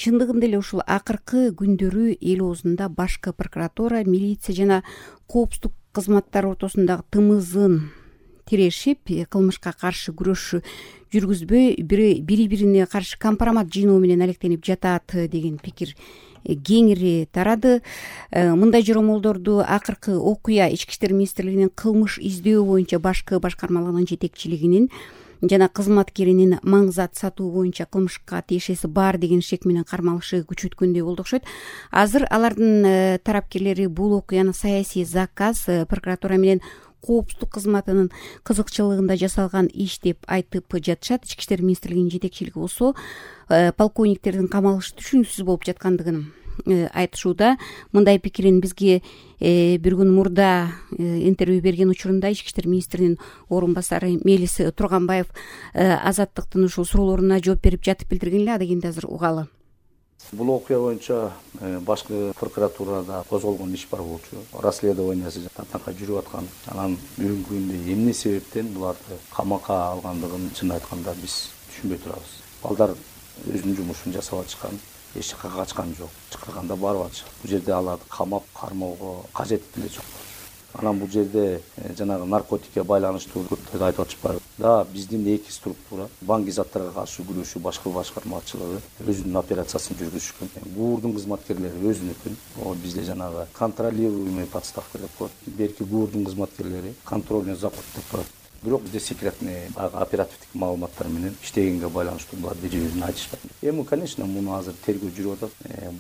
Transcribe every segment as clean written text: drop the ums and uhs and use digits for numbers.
чындыгында эле ушул акыркы күндөрү эл оозунда башкы прокуратура, милиция жана коопсуздук кызматтары ортосундагы тымызын тирешип, кылмышка каршы күрөш жүргүзбөй бири бирине каршы компромат жыйноо менен алектенип жатат деген пикир кеңири тарады. Мындай жоромолдорду акыркы окуя Ички иштер министрлигинин кылмыш издөө боюнча башкы башкармалыгынын жетекчилигинин жана кызматкеринин маңзат сатуу боюнча кылмышка тиешеси бар деген шек менен кармалышы күчөткөндөй болду окшойт. Азыр алардын тарапкерлери бул окуяны саясий заказ, прокуратура менен коопсуздук кызматынын кызыкчылыгында жасалган иш деп айтып жатышат. Ички иштер министрлигинин жетекчилиги болсо полковниктердин камалышы түшүнүксүз болуп жаткандыгын айтышууда. Мындай пикирин бизге бир күн мурда интервью берген учурунда Ички иштер министринин орун басары Мелис Турганбаев Азаттыктын ушул суроолоруна жооп берип жатып билдирген эле. Ада кийинде азыр угалы. Бул окуя боюнча башкы прокуратурада козголгон иш бар болчу. Расследованиясы татанка жүрүп аткан. Анан бүгүнкү күндө эмне себептен буларды камакка алгандыгын чын айтканда биз түшүнбөй турабыз. Балдар өзүнүн жумушун жасап атышкан, эч жакка качкан жок, чакырганда барып атышат. Бул жерде аларды камап кармоого кажет деле жок. Анан бул жерде жанагы наркотикке байланыштуу көптөрдү айтып атышпайбы? Да, биздин эки структура банк заттарга каршы күрөшүү башкы башкармачылыгы өзүнүн операциясын жүргүзүшкөн. ГУРдун кызматкерлери өзүнүкүн. Бизде жанагы контролируемый подставка деп коет. Берки ГУРдун кызматкерлери контрольный заход деп коет. Бирок бизде секретный оперативдик маалыматтар менен иштегенге байланыштуу булар дежурный айтышпайт. Эми, конечно, муну азыр тергөө жүрүп атат.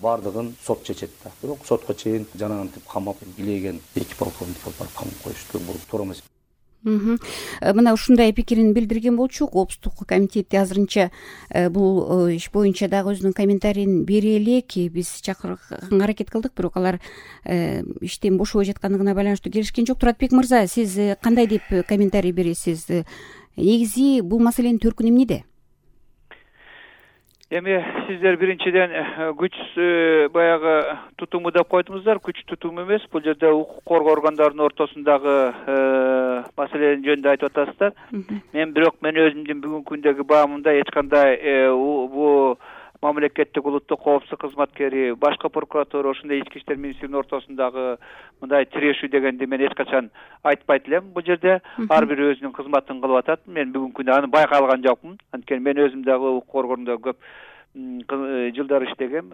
Бардыгын сот чечет да. Бирок сотко чейин жанагынтип камап илеген эки полковник барып камап коюшту. Бул туура эмес. Мына ушундай пикирин билдирген болчу. Коопсуздук комитети азырынча бул иш боюнча дагы өзүнүн комментарийин бере элек. Биз чакырганга аракет кылдык, бирок алар иштен бошобой жаткандыгына байланыштуу келишкен жок. Туратбек мырза, сиз кандай деп комментарий бересиз? Негизи бул маселенин төркүнү эмнеде? Эми сиздер биринчиден күч баягы тутуму деп койдуңуздар. Күч тутуму эмес, бул жерде укук коргоо органдарынын ортосундагы маселенин жөнүндө айтып атасыздар. Мен өзүмдүн бүгүнкү күндөгү баамымда эч кандай бул мамлекеттик улуттук коопсуздук кызматкери, башкы прокуратура, ошондой Ички иштер министрлигинин ортосундагы мындай тирешүү дегенди мен эч качан айтпайт элем. Бул жерде ар бири өзүнүн кызматын кылып атат. Мен бүгүнкү күндө аны байкалган жокмун. Анткени мен өзүм дагы укук коргоонунда көп жылдар иштегем.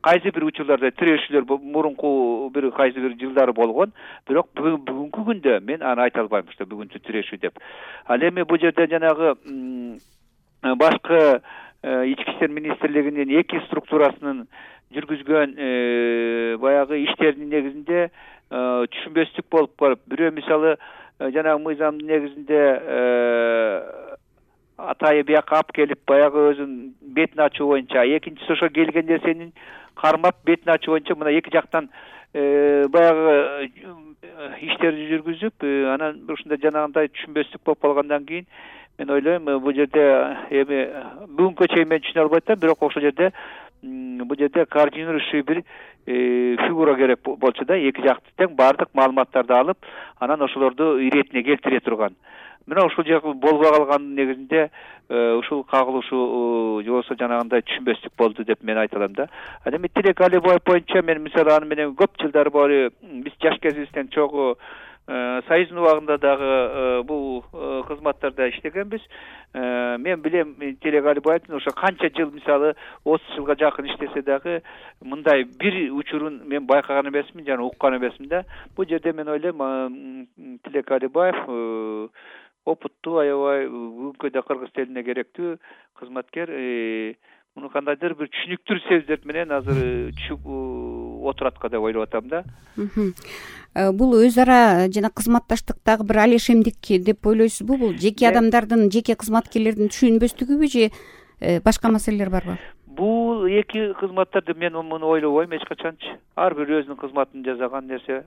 Кайсы бир учурларда тирешүүлөр мурунку кайсы бир жылдары болгон. Бирок бүгүнкү күндө мен аны айта албайм, что бүгүнкү тирешүү деп. Ал эми бул жерде жанагы башкы Ички иштер министрлигинин эки структурасынын жүргүзгөн баягы иштердин негизинде түшүнбөстүк болуп калып, бирөө мисалы жанагы мыйзамдын негизинде атайы бияка алып келип баягы өзүнүн бетин ачуу боюнча, экинчиси ошо келген нерсенин кармап бетин ачуу боюнча мына эки жактан баягы иштерди жүргүзүп, анан ушундай жанагындай түшүнбөстүк болуп калгандан кийин мен ойлойм, бул жерде эми бүгүнкү чейин мен түшүнө албай атам, бирок ошол жерде бул жерде координирующий бир фигура керек болчу да, эки жакты тең баардык маалыматтарды алып, анан ошолорду иретине келтире турган. Мына ушул жак болбой калгандын негизинде ушул кагылышуу же болбосо жанагындай түшүнбөстүк болду деп мен айта алам да. Ал эми Тилек Алибаев боюнча мен мисалы аны менен көп жылдар бою биз жаш кезибизден чогуу Союздун убагында дагы бул кызматтарда иштегенбиз. Мен билем Тилек Алибаевдин ошо канча жыл мисалы 30 жылга жакын иштесе дагы мындай бир учурун мен байкаган эмесмин, жана уккан эмесмин да. Бул жерде мен ойлойм Тилек Алибаев опыттуу, аябай бүгүнкү да кыргыз тилине керектүү кызматкер. Муну кандайдыр бир түшүнүктүү сөздөр менен азыр түшүп отуратка деп ойлоп атам да. Бул өз ара жана кызматташтыктагы бир алешемдик деп ойлойсузбу? Бул жеке адамдардын, жеке кызматкерлердин түшүнбөстүгүбү же башка маселелер барбы? Бул эки кызматтарды мен муну ойлобойм эч качанчы. Ар бир өзүнүн кызматын жасаган нерсе.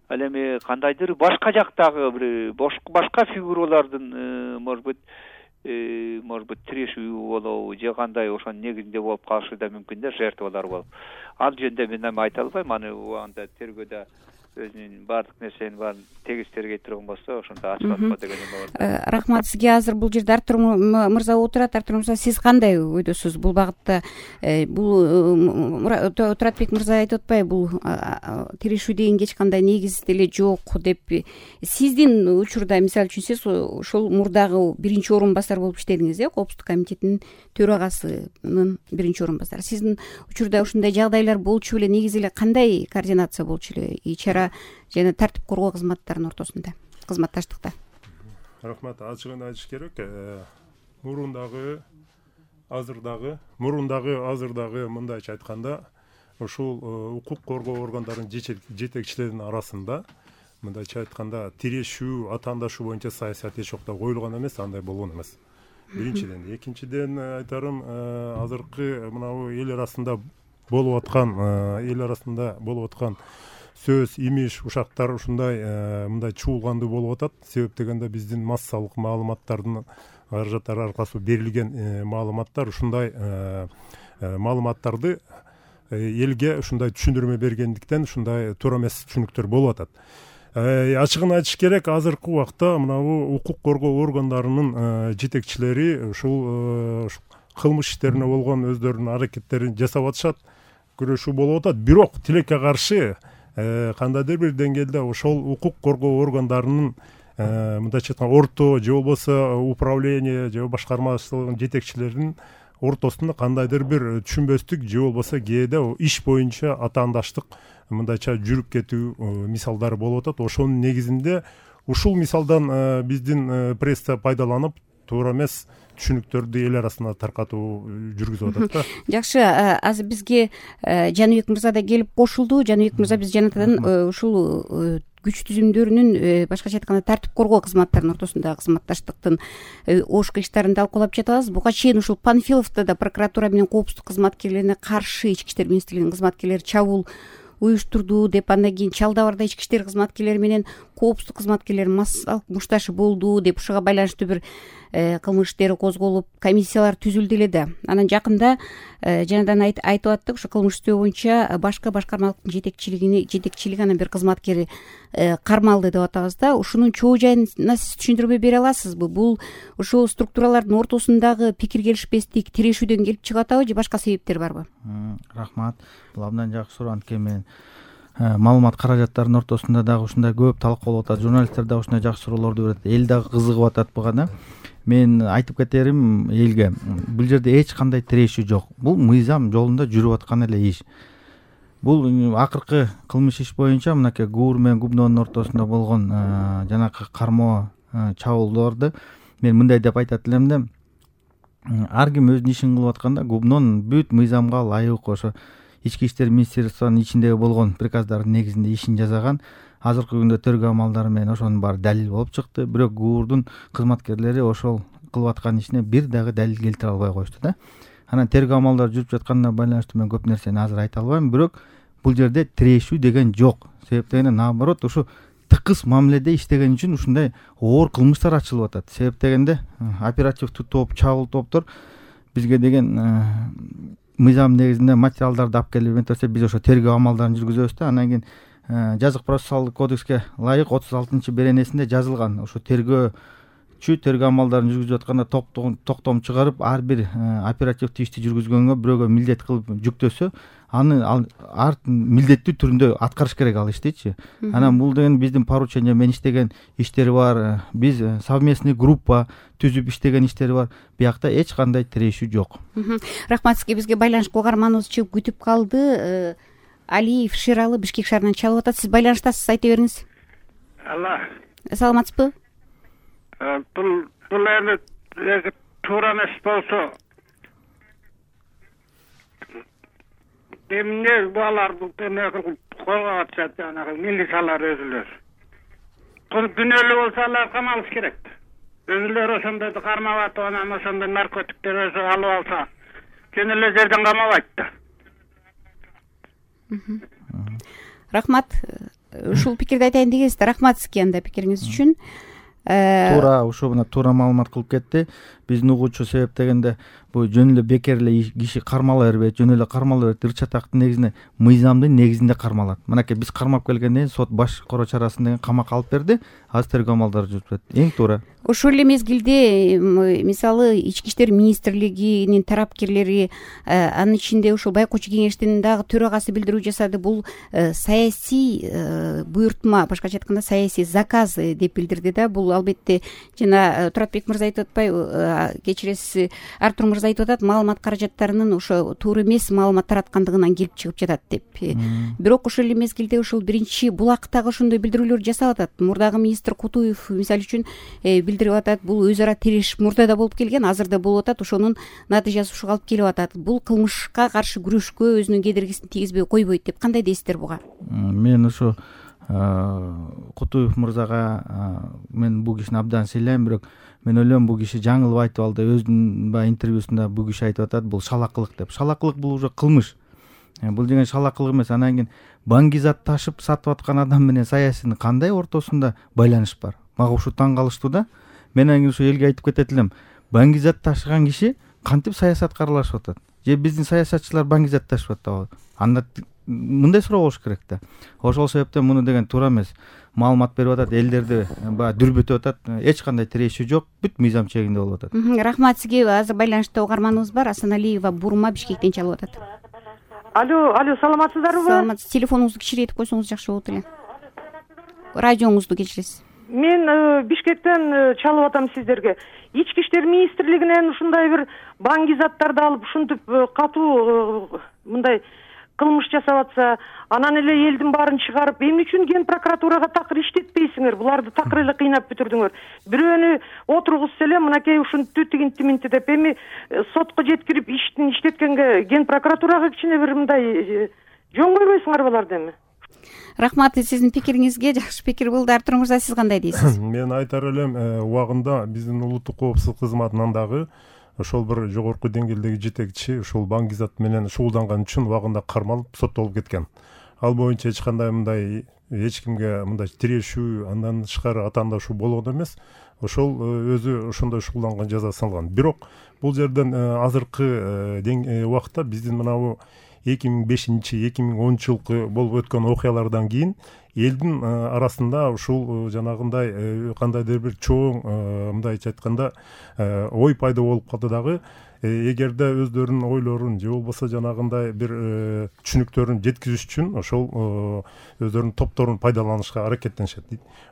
Ал эми кандайдыр башка жактагы бир башка фигуралардын может быть тирешүү болобу же кандай ошонун негизинде болуп калышы да мүмкүн да, жертвалар болуп. Ал жөнүндө мен эми айта албайм, аны убагында тергөөдө өзүнүн баардык нерсенин баарын тегиз тергей турган болсо ошондо ачык атпа деген эме бар. Рахмат сизге. Азыр бул жерде Артур мырза отурат. Артур мырза, сиз кандай ойдосуз бул багытта? Бул Туратбек мырза айтып атпайбы, бул тирешүү деген эч кандай негиз деле жок деп. Сиздин учурда, мисалы үчүн, сиз ошол мурдагы биринчи орун басар болуп иштедиңиз, Коопсуздук комитетинин төрагасынын биринчи орун басары. Сиздин учурда ушундай жагдайлар болчу беле? Негизи эле кандай координация болчу эле ИЧАРА жана тартип коргоо кызматтарынын ортосунда, кызматташтыкта? Рахмат. Ачыгын айтыш керек. Мурундагы азырдагы мындайча айтканда, ушул укук коргоо органдарынын жетекчилеринин арасында мындайча айтканда тирешүү, атаандашуу боюнча саясат эч убакта коюлган эмес, андай болгон эмес. Биринчиден. Экинчиден айтарым, азыркы мынабу эл арасында болуп аткан сөз, имиш, ушактар ушундай мындай чуулгандуу болуп атат. Себеп дегенде биздин массалык маалыматтардын каражаттар аркылуу берилген маалыматтар ушундай маалыматтарды элге ушундай түшүндүрмө бергендиктен ушундай туура эмес түшүнүктөр болуп атат. Ачыгын айтыш керек, азыркы убакта мынабу укук коргоо органдарынын жетекчилери ушул кылмыш иштерине болгон өздөрүнүн аракеттерин жасап атышат, күрөшүү болуп атат. Бирок тилекке каршы кандайдыр бир деңгээлде ошол укук коргоо органдарынын мындайча айтканда орто же болбосо управление же башкармачылыгынын жетекчилеринин ортосунда кандайдыр бир түшүнбөстүк же болбосо кээде иш боюнча атаандаштык мындайча жүрүп кетүү мисалдары болуп атат. Ошонун негизинде ушул мисалдан биздин пресса пайдаланып туура эмес түшүнүктөрдү эл арасына таркатуу жүргүзүп атат да. Жакшы, азыр бизге Жаныбек мырза да келип кошулду. Жаныбек мырза, биз жанатадан ушул күч түзүмдөрүнүн, башкача айтканда, тартип коргоо кызматтарынын ортосундагы кызматташтыктын ош кылыштарын талкуулап жатабыз. Буга чейин ушул Панфиловдо да прокуратура менен коопсуздук кызматкерлерине каршы ички иштер министрлигинин кызматкерлери чабуул уюштурду деп, андан кийин Чалда Барда ички иштер кызматкерлери менен коопсуздук кызматкерлери массалык мушташы болду деп, ушуга байланыштуу бир кылмыш иштери козголуп, комиссиялар түзүлдү эле да. Анан жакында жанадан айтып аттык, ушу кылмыш иштөө боюнча башка башкармалыктын жетекчилиги анан бир кызматкери кармалды деп атабыз да. Ушунун чоо жайына сиз түшүндүрмө бере аласызбы? Бул ушул структуралардын ортосундагы пикир келишпестик тирешүүдөн келип чыгып атабы же башка себептер барбы? Рахмат. Бул абдан жакшы суроо. Анткени мен маалымат каражаттарынын ортосунда дагы ушундай көп талкуу болуп атат. Журналисттер дагы ушундай жакшы суроолорду берет. Эл дагы кызыгып атат буга да. Мен айтып кетерим элге, бул жерде эч кандай тирешүү жок. Бул мыйзам жолунда жүрүп аткан эле иш. Бул акыркы кылмыш иш боюнча мынакей ГУР менен ГУБНОнун ортосунда болгон жанакы кармоо чабуулдарды мен мындай деп айтат элем да. Ар ким өзүнүн ишин кылып атканда ГУБНОнун бүт мыйзамга ылайык ошо ички иштер министрлигинин ичиндеги болгон приказдардын негизинде ишин жасаган. Азыркы күндө тергөө амалдары менен ошонун баары далил болуп чыкты. Бирок ГУРдун кызматкерлери ошол кылып аткан ишине бир дагы далил келтире албай коюшту да. Анан тергөө амалдары жүрүп жатканына байланыштуу мен көп нерсени азыр айта албайм. Бирок бул жерде тирешүү деген жок. Себеп дегенде, наоборот, ушу тыкыз мамиледе иштеген үчүн ушундай оор кылмыштар ачылып атат. Себеп дегенде, оперативдик топ, чабуул топтор бизге деген мыйзам негизинде материалдарды алып келип берсе, биз ошо тергөө амалдарын жүргүзөбүз да. Андан кийин жазык процессуалдык кодекске ылайык 36 беренесинде жазылган ушу тергөө амалдарын жүргүзүп атканда токтом чыгарып, ар бир оперативдик ишти жүргүзгөнгө бирөөгө милдет кылып жүктөсө, аны ар милдеттүү түрүндө аткарыш керек ал иштичи. Анан бул деген биздин поручение менен иштеген иштери бар, биз совместный группа түзүп иштеген иштери бар. Биякта эч кандай тирешүү жок. Рахмат сизге. Бизге байланышка каарманыбыз чыгып күтүп калды. Алиев Шералы Бишкек шаарынан чалып атат. Сиз байланыштасыз, айта бериңиз. Алла. Саламатсызбы? Бул эми туура эмес болсо, эмне баларды колго атышат, жанагы милициялар өзүлөр. Күнөөлүү болсо алар камалыш керек. Өзүлөр ошондойду кармап атып, анан ошондой наркотиктер өзү алып алса, кene эле жерден камабайт да. Рахмат. Ушул пикирди айтайын дегенсиз. Рахмат сизге анда пикириңиз үчүн. Туура, ушу мына туура маалымат кылып кетти. Биздин угуучу. Себеп дегенде бул жөн эле бекер эле киши кармала бербейт, жөн эле кармала берет. Ырча тактын негизинде мыйзамдын негизинде кармалат. Мынакей биз кармап келгенден сот башкаруу чарасын деген камакка алып берди. Азыр тергөө амалдары жүрүп жатат. Эң туура. Ошол эле мезгилде мисалы Ички иштер министрлигинин тарапкерлери, анын ичинде ушул Байкоочу кеңештин дагы төрагасы билдирүү жасады. Бул саясий буйртма, башкача айтканда саясий заказ деп билдирди да. Бул албетте жана Туратбек мырза айтып атпайбы, кечиресиз, Артур мырза айтып атат, маалымат каражаттарынын ошо туура эмес маалымат тараткандыгынан келип чыгып жатат деп. Бирок ошол эле мезгилде ушул биринчи булактагы ошондой билдирүүлөр жасап атат. Мурдагы министр Кутуев мисалы үчүн билдирип атат, бул өз ара тирешип мурда да болуп келген, азыр да болуп атат, ошонун натыйжасы ушуга алып келип атат. Бул кылмышка каршы күрөшкө өзүнүн кедергисин тийгизбей койбойт деп кандай дейсиздер буга? Мен ушу Кутуев мырзага мен бул кишини абдан сыйлайм, бирок мен ойлойм бул киши жаңылып айтып алды. Өзүнүн баягы интервьюсунда бул киши айтып атат, бул шалакылык деп. Шалакылык бул уже кылмыш. Бул деген шалакылык эмес. Анан кийин баңгизат ташып сатып аткан адам менен саясинин кандай ортосунда байланыш бар? Мага ушу таң калыштуу да. Мен анан ушу элге айтып кетет элем. Баңгизат ташыган киши кантип саясатка аралашып атат? Же биздин саясатчылар баңгизат ташып атабы? Анда мындай суроо болуш керек да. Ошол себептен муну деген туура эмес. Маалымат берип атат, элдерди баягы дүрбөтүп атат. Эч кандай тиреши жок, бүт мыйзам чегинде болуп атат. Рахмат сизге. Азыр байланышта угарманыбыз бар. Асаналиева Бурма Бишкектен чалып атат. Алло, саламатсыздарбы? Саламатсыз. Телефонуңузду кичирейтип койсоңуз жакшы болот эле. Радиоңузду кечиресиз. Мен Бишкектен чалып атам сиздерге. Ички иштер министрлигинен ушундай бир баңгизаттарды алып ушинтип катуу мындай кылмыш жасап атса, анан эле элдин баарын чыгарып, эмне үчүн Ген прокуратурага такыр иштетпейсиңер? Буларды такыр эле кыйнап бүтүрдүңөр. Бирөөнү отургузса эле мынакей ушинтип тигинти деп, эми сотко жеткирип иштин иштеткенге Ген прокуратурага кичине бир мындай жөн койбойсуңар буларды эми? Рахмат сиздин пикириңизге. Жакшы пикир болду. Артур мырза, сиз кандай дейсиз? Мен айтар элем, убагында биздин улуттук коопсуздук кызматынан дагы ошол бир жогорку деңгээлдеги жетекчи ушул баңгизат менен шугулданган үчүн убагында кармалып соттолуп кеткен. Ал боюнча эч кандай мындай эч кимге мындай тирешүү, андан тышкары атаандашуу болгон эмес. Ошол өзү ошондой шугулданган жазасын алган. Бирок бул жерден азыркы убакта биздин мынабу 2005-2010 жылкы болуп өткөн окуялардан кийин элдин арасында ушул жанагындай кандайдыр бир чоң мындайча айтканда ой пайда болуп калды дагы. Эгерде өздөрүнүн ойлорун же болбосо жанагындай бир түшүнүктөрүн жеткизиш үчүн ошол өздөрүнүн топторун пайдаланышка аракеттенишет.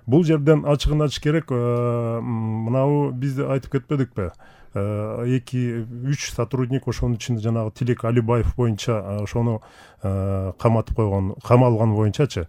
Бул жерден ачыгын ачыш керек. Мынабу биз айтып кетпедикпи? 2-3 сотрудник ошонун ичинде жанагы Тилек Алибаев боюнча ошону каматып койгон, камалган боюнчачы.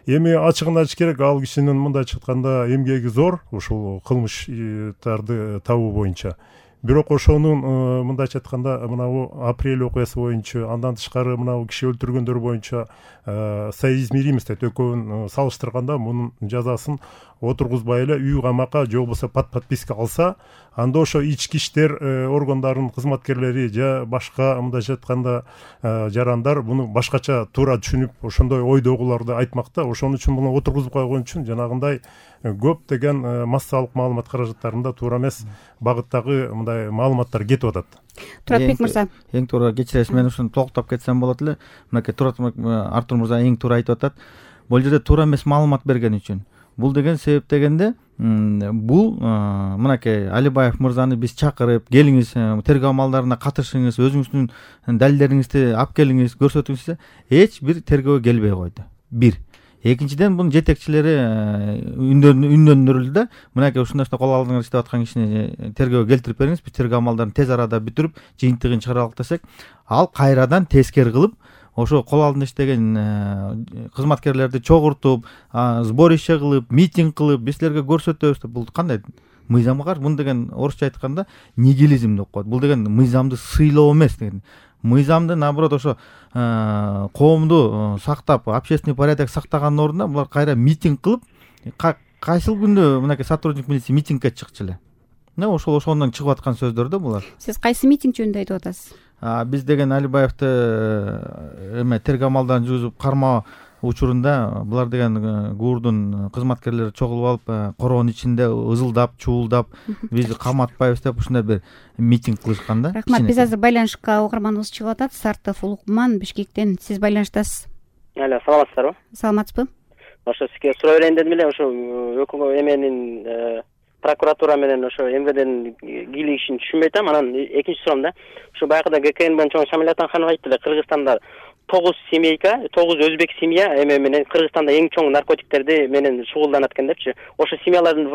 Эми ачыгын айтыш керек, ал кишинин мындайча айтканда эмгеги зор ушул кылмыштарды табуу боюнча. Бирок ошонун мындайча айтканда мынабу апрель окуясы боюнча, андан тышкары мынабу киши өлтүргөндөр боюнча соизмеримость дейт. Экөөнүн салыштырганда мунун жазасын отургузбай эле үй камакка же болбосо подписка алса, анда ошо ички иштер органдарынын кызматкерлери же башка мындайча айтканда жарандар буну башкача туура түшүнүп, ошондой ойдогуларды айтмакта. Ошон үчүн муну отургузуп койгон үчүн жанагындай көп деген массалык маалымат каражаттарында туура эмес багыттагы мындай маалыматтар кетип атат. Туратбек мырза. Эң туура, кечиресиз, мен ушуну толуктап кетсем болот эле. Мынакей Артур мырза эң туура айтып атат. Бул жерде туура эмес маалымат берген үчүн. Бул деген себеп дегенде, бул мынакей Алибаев мырзаны биз чакырып, келиңиз, тергөө амалдарына катышыңыз, өзүңүздүн далилдериңизди алып келиңиз, көрсөтүңүз, эч бир тергөө келбей койду. Бир. Экинчиден, бунун жетекчилери үндөндүрүлдү да, мынакей ушундай кол алдыңар иштеп аткан кишини тергөөгө келтирип бериңиз, биз тергөө амалдарын тез арада бүтүрүп, жыйынтыгын чыгаралык десек, ал кайрадан тескери кылып, ошо кол алдында иштеген кызматкерлерди чогуртуп, сборище кылып, митинг кылып, биз силерге көрсөтөбүз деп, бул кандай мыйзамга каршы? Бул деген орусча айтканда нигилизм деп коет. Бул деген мыйзамды сыйлоо эмес деген. Мыйзамды наоборот ошо коомду сактап, общественный порядок сактаганын ордуна булар кайра митинг кылып, кайсыл күндө мынакей сотрудник милиция митингге чыкчу эле. Ошондон чыгып аткан сөздөр да булар. Сиз кайсы митинг жөнүндө айтып атасыз? Биз деген Алибаевди тергөө амалдарын жүргүзүп кармоо учурунда булар деген ГУРдун кызматкерлери чогулуп алып короонун ичинде ызылдап чуулдап бизди каматпайбыз деп ушундай бир митинг кылышкан да. Рахмат. Биз азыр байланышка угарманыбыз чыгып атат. Сартов Улукман Бишкектен. Сиз байланыштасыз. Алло, саламатсыздарбы? Саламатсызбы? Ошо сизге суроо берейин дедим эле. Ошо эменин прокуратура менен ошо МВДнин кийлигишин түшүнбөй атам. Анан экинчи суроом да. Ошо байкыда ГКНБнын чоң Шамиль Атанханов айтты эле, Кыргызстанда 9 семейка, 9 өзбек семья менен Кыргызстанда эң чоң наркотиктерди менен шугулданат экен депчи. Ошо семьялардын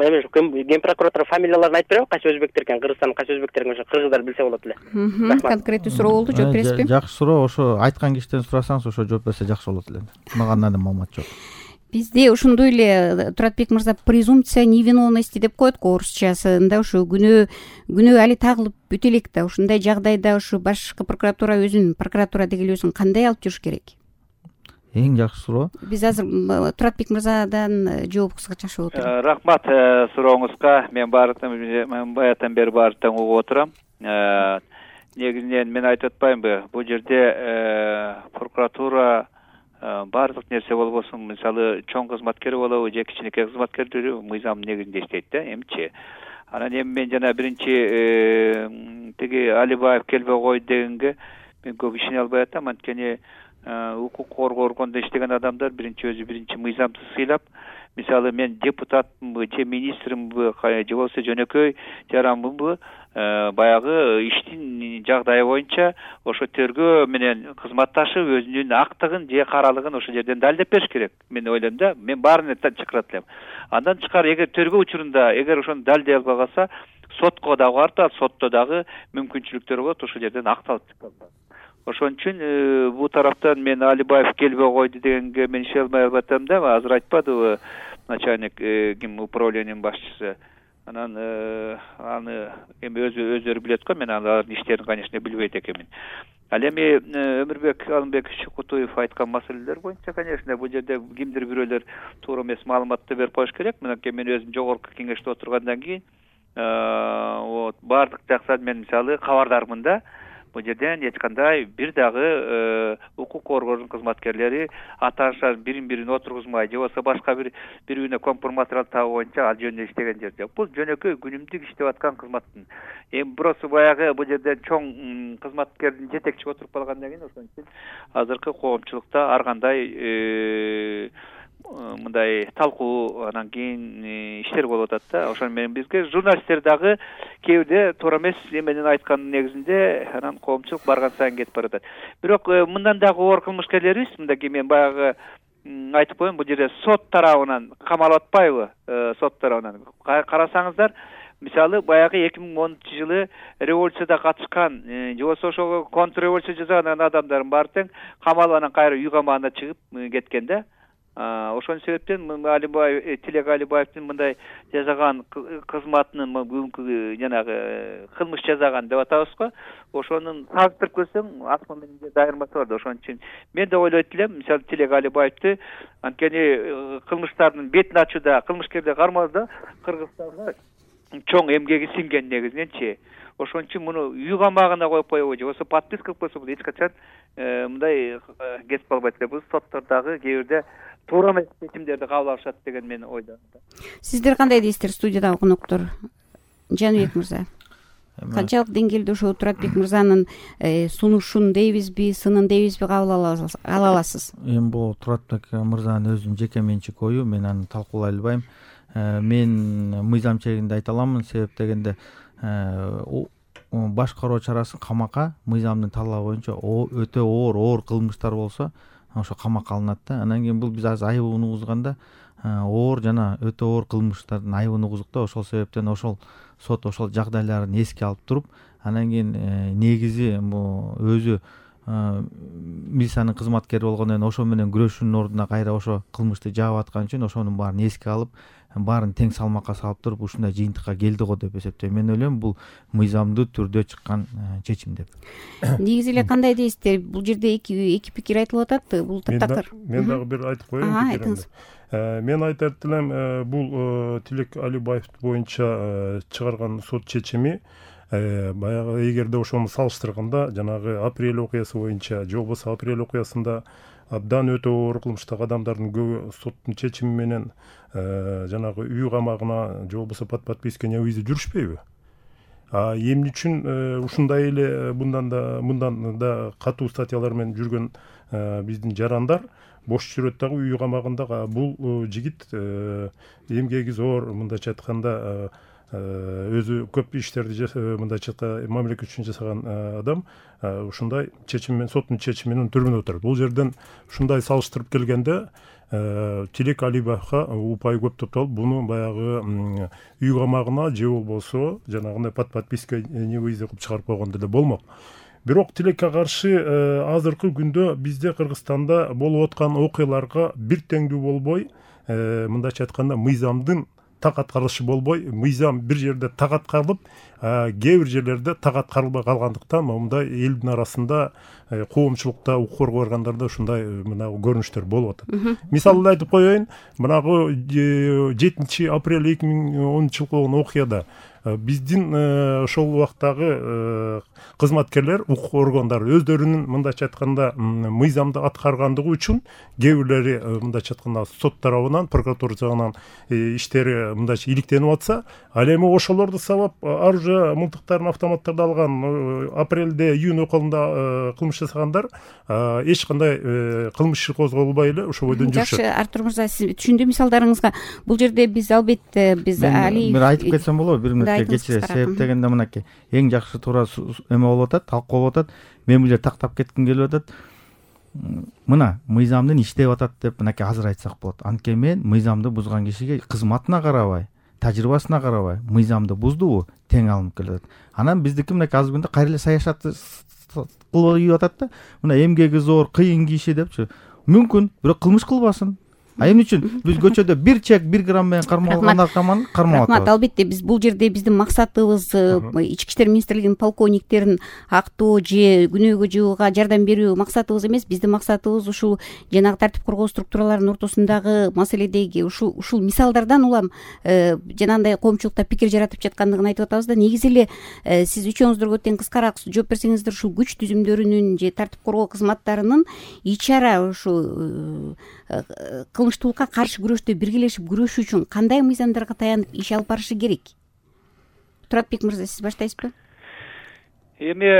Ген прокуратура фамилияларын айтып береби? Кайсы өзбектер экен, Кыргызстандын кайсы өзбектер экен, ошо кыргыздар билсе болот эле. Конкреттүү суроо болду, жооп бересизби? Жакшы суроо. Ошо айткан кишиден сурасаңыз, ошо жооп берсе жакшы болот эле. Мага андан маалымат жок. Бизде ошондой эле Туратбек мырза презумпция невиновности деп коет го орусчасында. Ошо күнөө али тагылып бүтө элек да. Ушундай жагдайда ошо башкы прокуратура прокуратура деги өзүн кандай алып жүрүш керек? Эң жакшы суроо. Биз азыр Туратбек мырзадан жооп кыскача болот. Рахмат сурооңузга. Мен баятан бери баары тең угуп отурам. Негизинен мен айтып атпаймынбы, бул жерде прокуратура баардык нерсе болбосун, мисалы чоң кызматкер болобу же кичинекей кызматкерлери мыйзамдын негизинде иштейт да, эмчи. Анан эми мен жана биринчи тиги Алибаев келбей койду дегенге мен көп ишене албай атам. Анткени укук коргоо органында иштеген адамдар биринчи мыйзамды сыйлап, мисалы мен депутатмынбы же министрминбы же болбосо жөнөкөй жаранмынбы, баягы иштин жагдайы боюнча ошо тергөө менен кызматташып өзүнүн актыгын же каралыгын ошол жерден далилдеп бериш керек. Мен ойлойм да, мен баарын чакырат элем. Андан тышкары эгер тергөө учурунда эгер ошону далилдей албай калса, сотко дагы барып, сотто дагы мүмкүнчүлүктөр болот, ошол жерден акталып чыккан. Ошон үчүн бул тараптан мен Алибаев келбей койду дегенге мен ишене албай атам да. Азыр айтпадыбы начальник ким управлениянын башчысы. Анан аны эми өздөрү билет го, мен алардын иштерин конечно билбейт экенмин. Ал эми Өмүрбек Алымбекович Кутуев айткан маселелер боюнча, конечно, бул жерде кимдир бирөөлөр туура эмес маалыматты берип коюш керек. Мен өзүм жогорку кеңеште отургандан кийин баардык жактан мен мисалы кабардармын да. Бул жерден эч кандай бир дагы укук коргоонун кызматкерлери аташан бирин отургузмай же болбосо башка бирине компроматериал табуу боюнча ал жөнүндө иштеген жер жок. Бул жөнөкөй күнүмдүк иштеп аткан кызматтын. Эми просто баягы бул жерде чоң кызматкердин жетекчиси отуруп калгандан кийин ошон үчүн азыркы коомчулукта ар кандай мындай талкуу анан кийин иштер болуп атат да. Ошон менен бизге журналисттер дагы кээ бирде туура эмес эменин айтканын негизинде анан коомчулук барган сайын кетип баратат. Бирок мындан дагы оор кылмышкерлерибиз, мындай мен баягы айтып коеюн, бул жерде сот тарабынан камалып атпайбы? Сот тарабынан карасаңыздар, мисалы баягы 2010-жылы революцияда катышкан же болбосо ошого контрреволюция жасаган адамдардын баары тең камалып анан кайра үй камагына чыгып кеткен да. Ошон себептен Алибаев, Тилек Алибаевдин мындай жасаган кызматынын бүгүнкү жанагы кылмыш жасаган деп атабыз го. Ошонун салыштырып көрсөң, асман менен айырмасы бар да. Ошон үчүн мен да ойлойт элем, мисалы Тилек Алибаевди анткени кылмыштардын бетин ачууда, кылмышкерди кармоодо Кыргызстанга чоң эмгеги сиңген негизиненчи. Ошон үчүн муну үй камагына коюп койбой же болбосо подписка кылып койсо, бул эч качан мындай кетип калбайт эле. Бул соттордогу кээ бирде туура эмес чечимдерди кабыл алышат деген мен ойлойм. Сиздер кандай дейсиздер, студиядагы коноктор? Жаныбек мырза, канчалык деңгээлде ошо Туратбек мырзанын сунушун дейбизби, сынын дейбизби кабыл ала аласыз? Эми бул Туратбек мырзанын өзүнүн жеке менчик ою, мен аны талкуулай албайм. Мен мыйзам чегинде айта аламын, себеп дегенде башкаруу чарасын камакка мыйзамдын талабы боюнча өтө оор кылмыштар болсо ошо камакка алынат да. Анан кийин бул биз азыр айыбын угузганда оор жана өтө оор кылмыштардын айыбын угуздук да. Ошол себептен ошол сот ошол жагдайларын эске алып туруп, анан кийин негизи өзү милициянын кызматкери болгондон кийин ошо менен күрөшүүнүн ордуна кайра ошо кылмышты жаап аткан үчүн ошонун баарын эске алып, баарын тең салмакка салып туруп ушундай жыйынтыкка келди го деп эсептейм. Мен ойлойм бул мыйзамдуу түрдө чыккан чечим деп. Негизи эле кандай дейсиздер? Бул жерде эки пикир айтылып атат. Бул таптакыр. Мен дагы бир айтып коеюн. Айтыңыз. Мен айтат элем, бул Тилек Алибаев боюнча чыгарган сот чечими Баягы эгерде ошону салыштырганда жанагы апрель окуясы боюнча же болбосо апрель окуясында абдан өтө оор кылмыштагы адамдардын көбү соттун чечими менен жанагы үй камагына же болбосо под подписка невыезде жүрүшпөйбү? Эмне үчүн ушундай эле мындан да катуу статьялар менен жүргөн биздин жарандар бош жүрөт дагы үй камагында? Бул жигит эмгеги зор, мындайча айтканда өзү көп иштерди мындайча айтканда мамлекет үчүн жасаган адам ушундай чечим менен, соттун чечими менен түрмөдө отурат. Бул жерден ушундай салыштырып келгенде Тилек Алибаевга упай көп топтолуп, буну баягы үй камагына же болбосо жанагындай под подписка невыезде кылып чыгарып койгондо деле болмок. Бирок Тилекке каршы азыркы күндө бизде Кыргызстанда болуп аткан окуяларга бир теңдүү болбой, мындайча айтканда мыйзамдын так аткарылышы болбой, мыйзам бир жерде так аткарылып, кээ бир жерлерде так аткарылбай калгандыктан момундай элдин арасында коомчулукта, укук коргоо органдарында ушундай мына көрүнүштөр болуп атат. Мисалды айтып коеюн, мынагы 7 апрель 2010 жылы болгон окуяда биздин ошол убактагы кызматкерлер, укук органдары өздөрүнүн мындайча айтканда мыйзамды аткаргандыгы үчүн кээ бирлери мындайча айтканда сот тарабынан, прокуратура тарабынан иштери мындайча иликтенип атса, ал эми ошолорду сабап оружие мылтыктарын, автоматтарды алган апрелде, июнь околунда кылмыш жасагандар эч кандай кылмыш иши козголбой эле ошо бойдон жүрүшөт. Жакшы, Артур мырза, сиз түшүндү мисалдарыңызга. Бул жерде биз албетте бир айтып кетсем болобу? Бир мүнөткө кечиресиз. Себеп дегенде мынакей эң жакшы туура эме болуп атат, талкуу болуп атат. Мен бул жерде тактап кетким келип атат. Мына мыйзамдын иштеп атат деп мынакей азыр айтсак болот. Анткени мен мыйзамды бузган кишиге кызматына карабай, тажрыйбасына карабай, мыйзамды буздубу, тең алынып келет. Анан биздики мынакей азыр күндө кайра эле саясатты кылып атат да. Мына эмгеги зор, кыйын киши депчи. Мүмкүн, бирок кылмыш кылбасын. Эмне үчүн биз көчөдө бир чек 1 грамм менен кармалгандар кармап атабыз? Албетте биз бул жерде биздин максатыбыз Ички иштер министрлигинин полковниктерин актоо же күнөөгө жыгууга жардам берүү максатыбыз эмес. Биздин максатыбыз ушул жанагы тартип коргоо структураларынын ортосундагы маселедеги ушул мисалдардан улам жанагындай коомчулукта пикир жаратып жаткандыгын айтып атабыз да. Негизи эле сиз үчөөңүздөргө тең кыскараак жооп берсеңиздер, ушул күч түзүмдөрүнүн же тартип коргоо кызматтарынын ичара ушул кылмыштуулукка каршы күрөштө биргелешип күрөшүү үчүн кандай мыйзамдарга таянып иш алып барышы керек? Туратбек мырза, сиз баштайсызбы? Эми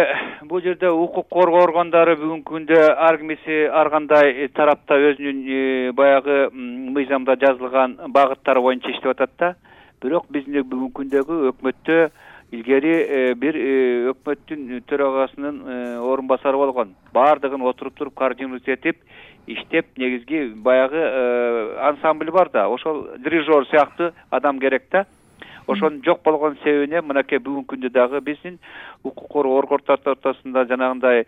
бул жерде укук коргоо органдары бүгүнкү күндө ар кимиси ар кандай тарапта өзүнүн баягы мыйзамда жазылган багыттары боюнча иштеп атат да. Бирок биздин бүгүнкү күндөгү өкмөттө илгери бир өкмөттүн төрагасынын орун басары болгон. Баардыгын отуруп туруп координируя этип иштеп, негизги баягы ансамбль бар да, ошол дирижер сыяктуу адам керек да. Ошонун жок болгон себебине мынакей бүгүнкү күндө дагы биздин укук коргоо органдары ортосунда жанагындай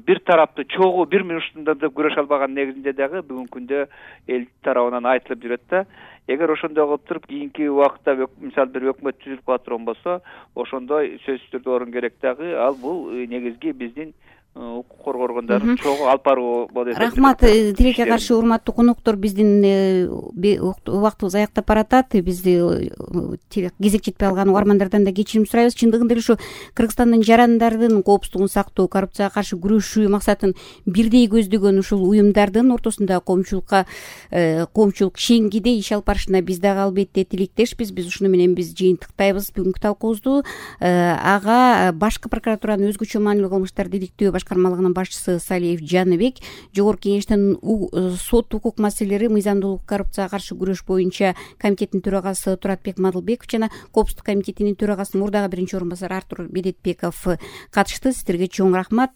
бир тараптуу чогуу бир минутунда да күрөшө албаган негизинде дагы бүгүнкү күндө эл тарабынан айтылып жүрөт да. Эгер ошондой кылып туруп кийинки убакытта мисалы бир өкмөт түзүлүп кала турган болсо, ошондой сөзсүз түрдө орун керек дагы. Ал бул негизги биздин укук коргоо органдарын чогуу алып баруу болот. Рахмат. Тилекке каршы урматтуу коноктор, биздин убактыбыз аяктап баратат. Бизди кезек жетпей калган угармандардан да кечирим сурайбыз. Чындыгында эле ушу Кыргызстандын жарандардын коопсуздугун сактоо, коррупцияга каршы күрөшүү максатын бирдей көздөгөн ушул уюмдардын ортосунда коомчулук шеңгиде иш алып барышына биз дагы албетте тилектешпиз. Биз ушуну менен биз жыйынтыктайбыз бүгүнкү талкуубузду. Ага башкы прокуратуранын өзгөчө маанилүү кылмыштарды иликтөө башкармалыгынын башчысы Салиев Жаныбек, Жогорку Кеңештин сот укук маселелери, мыйзамдуулук, коррупцияга каршы күрөш боюнча комитеттин төрагасы Туратбек Мадылбеков жана Коопсуздук комитетинин төрагасынын мурдагы биринчи орун басары Артур Медетбеков катышты. Сиздерге чоң рахмат.